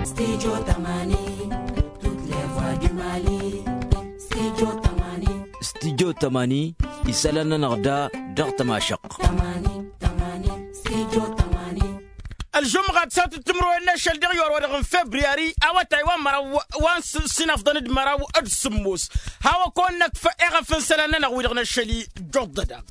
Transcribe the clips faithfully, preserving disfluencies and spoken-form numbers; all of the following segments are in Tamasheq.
Studio tămani. Tut le voix du mali. Studio tămani. Studio tămani. Isălan-nănăɣ da dăɣ-tămašăɣt. Tămani tămani. Studio tămani. Ălžumɣa tǝsat d-timǝrwen n-ašăl dăɣ-iwar wa dăɣ-n febriyari awătay wa n-măraw wa n-sinăfḍăn d-măraw d-sǝmmos. Hawăn-kăwăn-năkf eɣăf n-isălan-nănăɣ wi-dăɣ n-ašăl ijjuḍ-dăɣ.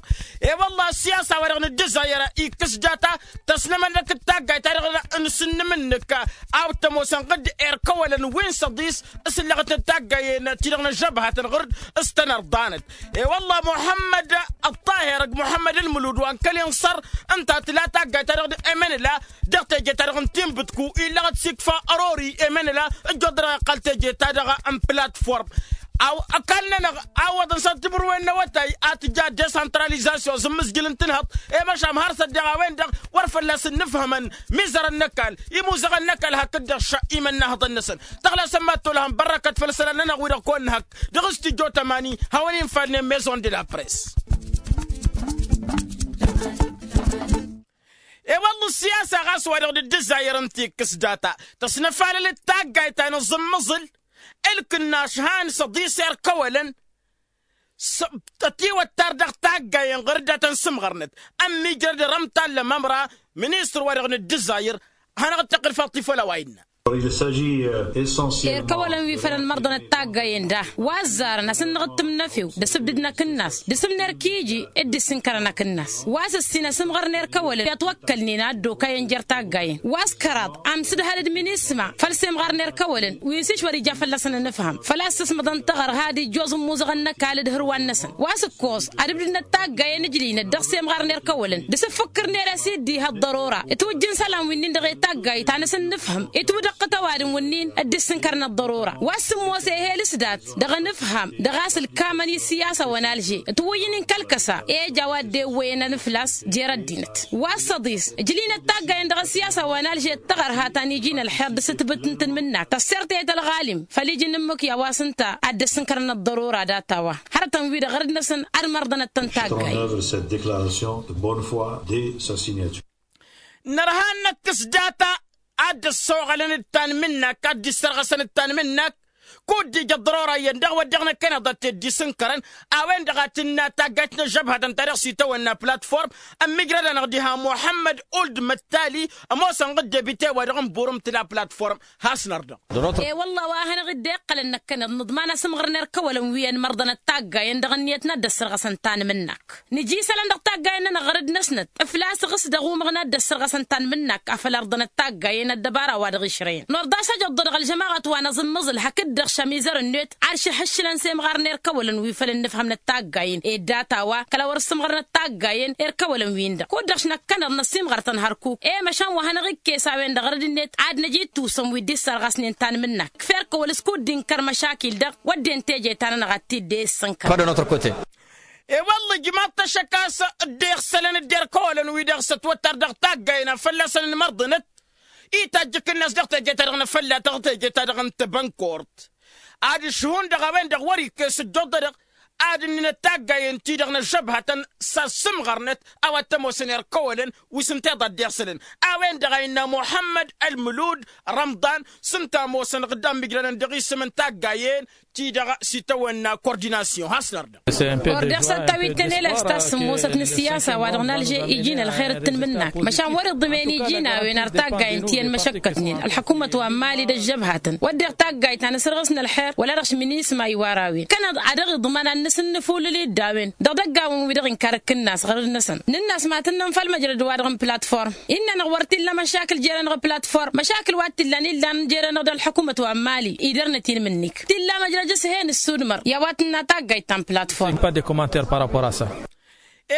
E-wălla ăssiyasa-wa-dăɣ n-ǝddǝzayăr ikkǝs data tăsnămănnăk d-taggayt-ta-dăɣ n-sǝnnǝm-nǝk a-wa t-ămoosăn ɣǝdd erkăwălăn wi n-săḍis s-ǝllăɣăt n-taggayen-ti-dăɣ n-ăžžăbhatăn ɣur-dd s-tăn-ărḍanăt. E-wălla muḥămmăd ăṭṭahir d-muḥămmăd ǝlmǝlud wa n-kăl inṣăr ǝnta tǝla taggayt-ta-dăɣ n-emănăla dăɣ-teje-ta-dăɣ n-tinbǝtku illăɣăt s-ikfa ărori emănăla ǝjjoḍ dăr-iqqăl teje-ta-dăɣ n-platform. Ăkall-nănăɣ a ǝwwăḍăn s-ad-timǝrwen n-awătay a tǝja desantralizasyon zǝmmǝzjǝl n-tǝnhăḍt i-măšan har s-ăddeɣ a-wen-dăɣ wăr fălla-s ǝnnǝfhămăn mizărăn n-ăkall imuzăɣăn n-ăkall hakd-dăɣ šăqqimăn n-ahăḍăn-năsăn. Tăɣlasăn mad-tolhăn bărrăkăt făll-isălan-nănăɣ wi-dăɣ kăwăn-nǝhăk dăɣ-s tijjo tămani hawăn-infalnen maison de la press. I-wălla ăssiyasa ɣas wa dăɣ-dd-ǝzzayăr n-tikkǝs data tăsnăfalăl d-taggayt ta n-aẓǝmmăẓǝl ǝlkǝnnaš han săḍis erkăwălăn s-ătiwăttar dăɣ-taggayen ɣur-dd a tăn-sǝmɣărnăt ămmijrăd rămtan lămămra ministăr wa dăɣ-nǝddǝzzayăr. Hanăɣ-dd-tăqqǝl faṭṭif wăla wa innă. Erkăwălăn wi făl ănmărḍănăt taggayen da wa ăzzarăn a-s ǝnnăɣ d-tǝmnăfew d-asǝbdǝd n-akǝnnas d-asǝm n-erk iji dd-issǝnkărăn akǝnnas wa s-ǝssin asǝmɣăr n-erkăwălăn i-ătwăkkălnen a ăddookayăn jer-taggayen wa s-kăraḍ amsǝdhăl d-minisma făll-semɣar n-erkăwălăn wi n-siš wăr-ija fălla-săn ănǝfham făl-a-s săsmăḍăn taɣăr had-ijjoẓ ǝmmuzăɣăn n-ăkall d-hărwan-năsăn wa s-ǝkkoẓ ad-ǝbdǝdnăt taggayen ǝjlǝynăt dăɣ-semɣar n-erkăwălăn d-asǝffǝkkǝr n-ere s-iddiha ăḍḍărora ǝtwǝjjǝn isălan wi-nin-dăɣ i-taggayt ta n-asǝnnǝfhǝm itwǝdăɣ-tăt ăwadǝm wǝnnin dd-issǝnkărnăt ḍărora wa s-sǝmmos ehel s-dat dăɣ-anǝfham dăɣ-a-s ǝlkamăn i-siyasa wa n-alže ǝtwǝyyǝn inkăl-kăsa i-ija wa dd-ewwăyăn anǝflas jer-ăddinăt wa s-săḍis ǝjlǝynăt taggayen dăɣ-ăssiyasa wa n-alže d-taɣărha ta n-iji n-ălxer d-asǝtbǝt n-tanmǝnnakt tăssert i-tălɣalim făll-iji n-ǝmmǝk i-a-wa s-ǝnta ad-dd-ăssǝnkărnăt ḍărora data-wa hărătăn-wi-dăɣ ɣărăd-năsăn ad-mărḍănăt-tăn taggayen. Nărha n-năkk s-data ad-dd-ăssoɣălăn d-tanmǝnnakt ad-dd-issărɣăsăn d-tanmǝnnakt kud-dd-ija ăḍḍărora iyyăn dăɣ-wădden n-ăkkăneḍ ad-t-dd-isǝnkărăn a-wen-dăɣ a tǝnna taggayt n-ăžžăbhătăn ta dăɣ-s itawănna platform ămmigrăd-anăɣ diha muḥămmăd uld măttali ămoosăn ɣǝd debite wa dăɣ-n burǝm tǝla platform. Has-nărdăɣ. E-wălla wa hanăɣ-dd-iqqălăn năkkăneḍ nǝḍman asǝmɣăr n-erkăwălăn wi ănmărḍănăt taggayen dăɣ-ǝnniyăt n-ad-dd-ăssărɣăsăn tanmǝnnakt nǝja isălan dăɣ-taggayen-nănăɣ ɣărăd-năsnăt ǝflas ɣǝs dăɣ-umăɣ n-ad-dd-ăssărɣăsăn tanmǝnnakt a făl ărḍănăt taggayen ăddăbara wa dăɣ-išrăyăn nor d-asăjăḍḍa dăɣ-ălžămaɣăt wa n-aẓǝmmăẓǝl hakd-dăɣ šămizăr-net ad-šăhhǝššǝlăn semɣar n-erkăwălăn wi făll-ǝnnǝfhămnăt taggayen ed data-wa kăla wăr-ǝssǝmɣărnăt taggayen erkăwălăn wi-in-dăɣ kud-dăɣ šnăkkănăḍ năssiimɣăr-tăn hărkuk i-măšan wa hanăɣ-ikkes a-wen-dăɣ ɣărăd-net ad-năj ittusăm wi dd-issărɣasnen tanmǝnnakt kǝf-erkăwăl s-kud-dd-inkăr măšakil-dăɣ wădden teje ta-nănăɣ ad-t-dd-e-issǝnkăr. E-wălla ǝjmaḍ-t ăššăk a-s dd-iɣsălăn dd-erkăwălăn-wi-dăɣ s-ătwăttar dăɣ-taggayen a fălla-săn ǝnmărḍǝnăt itajj akǝnnas dăɣ-teje-ta-dăɣ n-afălla dăɣ-teje-ta-dăɣ n-tebănkort ad-ǝšhǝhun-dăɣ a-wen-dăɣ wăr-ikkes ǝjjuḍ-dăɣ ad-ǝnninăt taggayen-ti-dăɣ n-ăžžăbhătăn s-ad-sǝmɣărnăt a-wa t-ămoosăn erkăwălăn wi s-ǝnta iḍa dd-iɣsălăn a-wen-dăɣ a innă muḥămmăd ălmǝlud rămḍan s-ǝnta ămoosăn ɣǝdda ămmijrănăn dăɣ-isǝm n-taggayen-ti-dăɣ s-itawănna kordinasyon has-nărdăɣ. Ordeɣ s-ad-tawit-tăn elas ta s-sǝmmosăt n-ăssiyasa wa dăɣ-nalže iji n-ălxer d-tanmǝnnakt măšan wăr-iḍǝmen iji n-a-wen ar taggayen ti ănmăšăkkătnen ălḥăkumăt wa n-mali d-ăžžăbhatăn wădden taggayt ta n-asărɣǝs n-ălxer wăla dăɣ-s minisma iwar a-wen kănăḍ a dăɣ-iḍman ad-nǝsǝnnǝfulǝl-dd a-wen dăɣ-idăggawen-wi-dăɣ inkar ǝkkǝnnas ɣărăd-năsăn nǝnn'-as ma tǝnnăm făll-măjrăd-wa-dăɣ n-platform innă-năɣ wăr t-illa măšakǝl jere-năɣ platform măšakǝl wa t-illan illan jere-năɣ d-ălḥăkumăt wa n-mali idăr-năt-in mǝnnik t-illa măjrăj s-hen ǝssudmăr i-a-wa tǝnna taggayt ta n-platform.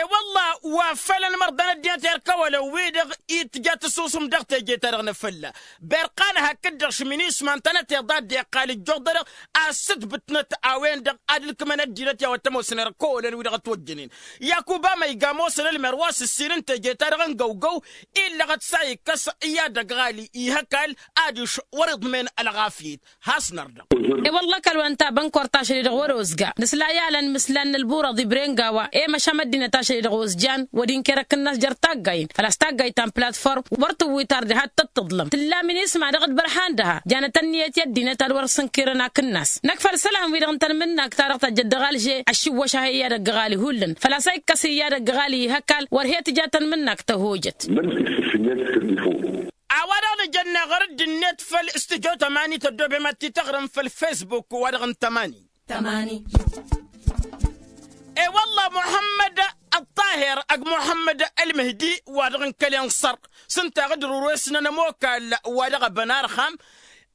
E-wălla wa făl ănmărḍăn ăddinăt erk ăwălăn-wi-dăɣ itja tǝsusǝm dăɣ-teje-ta-dăɣ n-afălla berqan hakd-dăɣ šminisma ǝntănăt iḍa dd-iqqal ǝjjuḍ-dăɣ a-s ǝtbǝtnăt a-wen-dăɣ ad-ǝlkǝmăn ăddinăt i-a-wa t-ămoosăn erk ăwălăn-wi-dăɣ ătwăjjănen. Yakub amăyga ămoosăn ălmer wa s-ǝssin n-teje-ta-dăɣ n-găwgăw illăɣăt s-a ikkăs i-ad-ăgg ɣali ih' ăkall adiš wăr-iḍmen ălɣafyăt. Has-nărdăɣ. E-wălla ăkall wa n-tabănkort ašăl-i-dăɣ wăr-ozga nǝsla i-alăn mǝslan n-ălburăḍ ibren gawa i-măšan ăddinăt ašăl-i-dăɣ ozjan wăr-inker ăkk ǝnnas jer-taggayen făl-a-s taggayt ta n-platform wăr tǝwwit ar diha t-tăt-tǝḍlăm tǝlla minisma dăɣ-dd-bărha. Ăndăha janăt ănniyăt i-ăddinăt ad-wăr-sǝnkirăn akǝnnas năkk făll-isălan-wi-dăɣ n-tanmǝnnakt ta dăɣ-tăjjăt dăɣ-alže ăššǝwwăš a he-iyyădăgg ɣali hullan făl-a-s a ikkăs iyyădăgg ɣali ihăkall wăr he-tǝja tanmǝnnakt tăhojăt. A-wa-dăɣ nǝjănna ɣur-dd-net făll-stujo tămani tăddoobem ad-t-tăɣrǝm făll-fesbuk wa-dăɣ n-tămani. Tămani. E-wălla muḥămmăd ăṭṭaher ăgg muḥămmăd ălmǝhdi wa-dăɣ n-kăl-inṣăr s-ǝnta a ɣǝd-rurwesnăn ămokal wa-dăɣ ăbănarxam.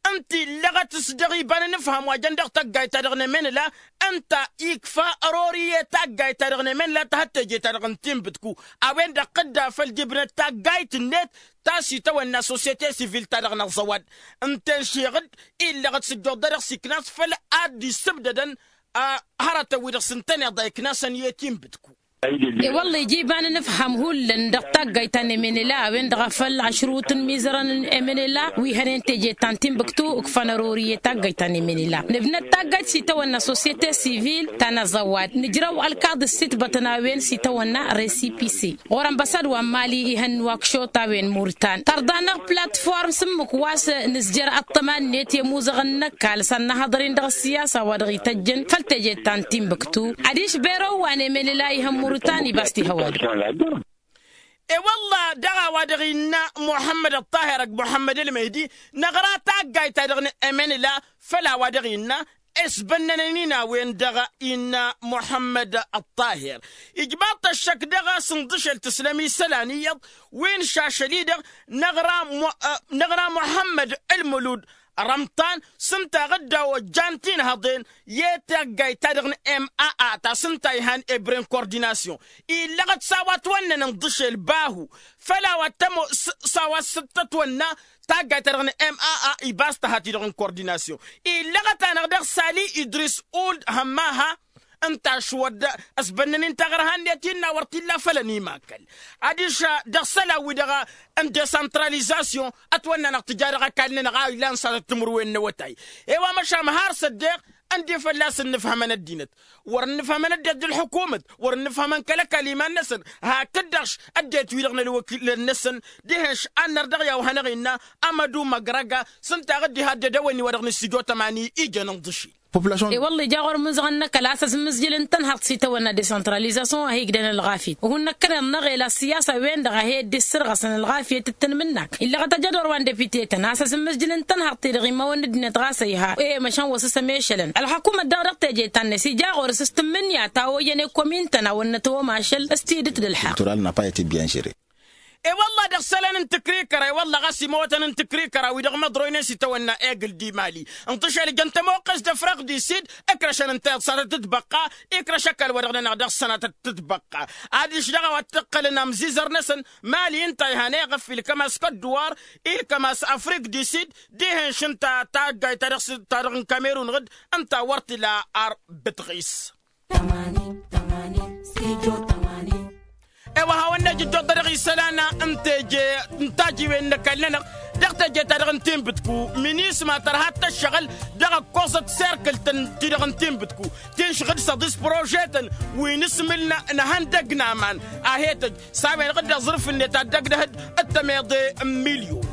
Ǝnta illăɣăt s-dăɣ iba n-inǝfham wa jăn dăɣ-taggayt-ta-dăɣ n-emenǝla ǝnta ikfa ărori i-taggayt-ta-dăɣ n-emenǝla tăhăt teje-ta-dăɣ n-tinbǝtku a-wen-dăɣ tǝdda făll-dibnăt taggayt-net ta s-itawănna sosyete sivil-ta-dăɣ n-aẓăwad. Ǝnta enšeɣ-dd illăɣăt s-ǝjjuḍ-dăɣ s-iknas făll-ad-dd-issǝbdădăn hărătăn-wi-dăɣ s-ǝntăneḍ a iknasăn i-tinbǝtku. E-wălla ija iba n-inǝfham hullan dăɣ-taggayt ta n-emenela a-wen-dăɣ a făl ašrut n-imizărăn n-emenela wi hănen teje ta n-tinbǝktu ǝkfăn ărori i-taggayt ta n-emenela nǝbnăt taggayt s-itawănna sosyete sivil ta n-aẓăwad nǝjrăw ălkaḍ ǝssitbătăn a-wen s-itawănna resipise ɣur-ănbăsad wa n-mali ihăn wakšot a-wen murtan tărḍa-năɣ platform s-ǝmmǝk wa s-nǝzjăr ăṭṭăma-net i-ămuzăɣăn n-ăkall s-ad-năhăḍăr-in dăɣ-ăssiyasa wa dăɣ-ităjjăn făll-teje ta n-tinbǝktu adiš berow wa n-emelǝla ihăn murtan ibas tihăwădăɣ. E-wălla dăɣ-a-wa dăɣ-innă muḥămmăd ăṭṭaher ăgg muḥămmăd ălmehdi năɣra taggayt-ta-dăɣ n-emelǝla făll-a-wa dăɣ-innă esbănnănen-in a-wen-dăɣ innă muḥămmăd ăṭṭaher. Ijmaḍ-t ăššăk dăɣ-a-s ǝnḍǝšel tǝslăm isălan iyyăḍ wi n-išašăl-i-dăɣ năɣra muḥămmăd ǝlmǝlud rămṭan s-ǝnta a ɣǝdda ojjan tinhăḍen i-taggayt-ta-dăɣ n-maa ta s-ǝnta a ihan ebren kordinasyon illăɣăt s-a-wa ătwănnăn ǝnḍǝšel bahu făll-a-wa t-ămoos s-a-wa s-tătwănna taggayt-ta-dăɣ n-maa ibas tăha-t-i-dăɣ n-kordinasyon illăɣăt-anăɣ dăɣ-sali idris uld hămmaha ǝnta a-s wăr dd-ăsbănnăn-in taɣărha-net innă wăr t-illa făll-ănimakăl adiš dăɣ-isălan-wi-dăɣ n-desăntralizasyon ătwănna-năɣ tǝja dăɣ-ăkall-nănăɣ a ilan s-ad-ăttǝmǝrwen n-awătay. I-wa măšan har s-ăddeɣ ǝndi fălla-s ǝnnǝfhămăn ăddinăt wăr ǝnnǝfhămăn ăddinăt d-ălḥukumăt wăr ǝnnǝfhămăn kăl-ăkall iman-năsăn hakd-dăɣ-š ăddinăt-wi-dăɣ n-ălwăkilăn-năsăn dihen-š ad-nărdăɣ i-a-wa hanăɣ-innă amădu măgrăga s-ǝnta a ɣǝddiha ăddedăwănni wa dăɣ-nǝssijot ămani ijăn ǝnḍǝšil. E-wălla ija ɣur-imǝzăɣăn n-ăkall a-s ăzmǝzjǝl ǝntănhăḍ s-itawănna desăntralizasyon a hi-igdăn ălɣafyăt uhǝn năkkăneḍ-năɣ ela ăssiyasa-wen-dăɣ a hi-dd-issărɣăsăn ălɣafyăt d-tanmǝnnakt illăɣăt ajădor wa n-depite-tăn a-s ăzmǝzjǝl ǝntănhăḍ-t-dăɣ imawăn ăddinăt ɣas a iha e-măšan wa s-ăsămešălăn ălḥăkumăt daɣ dăɣ-teje ta n-ăsija ɣur-s s-tǝmmǝnǝya ta ojăn i-komin-tăn a wăr nătwămašăl s-tidǝt d-ălḥăqq. E-wălla dăɣ-isălan n-tǝkrikăra e-wălla ɣas imawătăn n-tǝkrikăra wi-dăɣ măḍroynen s-itawănna egl d-imali ǝnṭǝšel ijăn tămoqqes d-ăfrăɣ d-isid ǝkrăšăn ǝnta iḍsanăt d-tibăqqa ikrăš ăkall-wa-dăɣ-nănăɣ dăɣ-sănatăt d-tibăqqa. Adiš dăɣ-a-wa t-ǝqqălăn amzizăr-năsăn mali ǝnta a ihan eɣăf ilkăm a-s kădduwar ilkăm a-s afrik d-isid dihen-š ǝnta taggayt ta dăɣ-s ta dăɣ-n kamerun ɣǝd ǝnta wăr t-ila ar bǝtɣis. E-wa hawăn-nejǝjjoḍ dăɣ-isălan n-teje n-tajiwen n-ăkall-nănăɣ dăɣ-teje ta dăɣ-n tinbǝtku minisma tărha ad-tăššăɣǝl dăɣ-ăkkoẓăt serkǝlt-ti-dăɣ n-tinbǝtku tinšɣǝd s-ăḍis prožetăn wi n-asmǝl n-ehăndăgg n-aman a he-tăj s-a-wen-dăɣ dd-aẓrǝf-net ad-dd-ăgdăhăd d-tămeḍe n-milyon.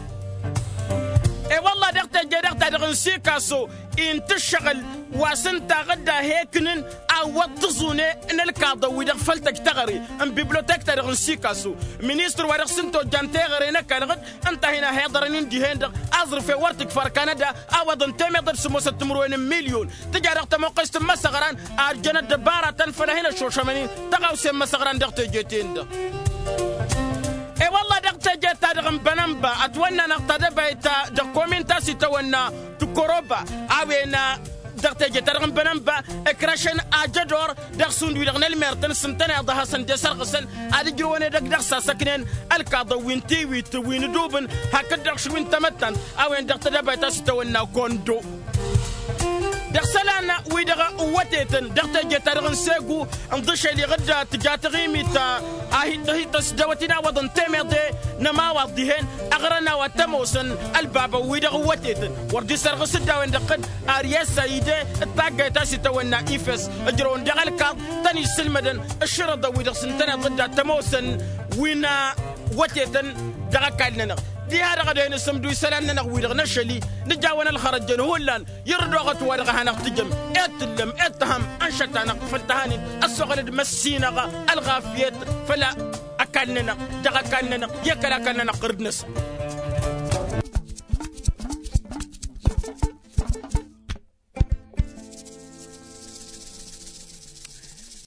E-wălla dăɣ-teje dăɣ-ta-dăɣ n-sikaso intǝššăɣǝl wa s-ǝnta a ɣǝdda hekǝnǝn a ǝwwăḍ tǝẓune n-ălkaḍăn-wi-dăɣ făll-tăj teɣăre n-biblotek-ta-dăɣ n-sikaso ministăr wa dăɣ-s ǝnta ojjan teɣăre n-ăkall ɣǝd ǝnta a hin-ăhiḍărăn-in dihen-dăɣ aẓrǝf i-wăr t-ikfăr kanăda a ăwwăḍăn temeḍe d-sǝmmosăt timǝrwen n-milyon tǝja dăɣ-tămoqqest n-imăsăɣran a ăjjăn ăddăbaratăn făll-ad-hin-ăššošămăn-in tăɣawse n-imăsăɣran dăɣ-teje-ten-dăɣ. E-wălla dăɣ-teje-ta-dăɣ n-bănănba ătwănna-năɣ tadăbayt dăɣ-komin ta s-itawănna tukoroba a-wen dăɣ-teje-ta-dăɣ n-bănănba ǝkrăšăn ajădor dăɣ-šund wi-dăɣ n-ălmertăn s-ǝntăneḍ a hasăn-dd-esărɣǝsăn ad-ǝjrǝwăn edăgg dăɣ-sasăknen ălkaḍăn wi n-tiwit wi n-ǝdubǝn hakd-dăɣ š-wi n-tamăttant a-wen-dăɣ tadăbayt ta s-itawănna kondo. Dăɣ-isălan-wi-dăɣ ǝwwătetăn dăɣ-teje-ta-dăɣ n-segu ǝnḍǝšel iɣǝdda tǝja taɣimit a hi-tăsdăwăt-in a ǝwwăḍăn temeḍe n-ămawaḍ dihen aɣrăn a-wa t-ămoosăn ălbabăn-wi-dăɣ ǝwwătetăn wăr dd-isărɣǝs-dd a-wen-dăɣ tădd ariyăssa ide d-taggayt ta s-itawănna ifes ǝjrăwăn dăɣ-ălkaḍ tăn-issǝlmădăn ǝššărăḍăn-wi-dăɣ s-ǝntăneḍ dd-ad-t-ămoosăn wi n-ăwwătetăn dăɣ-ăkall-nănăɣ. Tiha-dăɣ ad-hen-asǝmdu isălan-nănăɣ-wi-dăɣ n-ašăl-i nǝjawăn ălxărăt jăn hullan. Irǝd oɣăt wa-dăɣ a hanăɣ-tǝjăm ed tǝllăm ed tăhăm ănšăt-anăɣ făll-tăhanin. Ăssoɣăl d-măssinăɣ ălɣafyăt făll-ăkall-nănăɣ dăɣ-ăkall-nănăɣ i-kăl-akall-nănăɣ ɣǝrǝd-năsăn.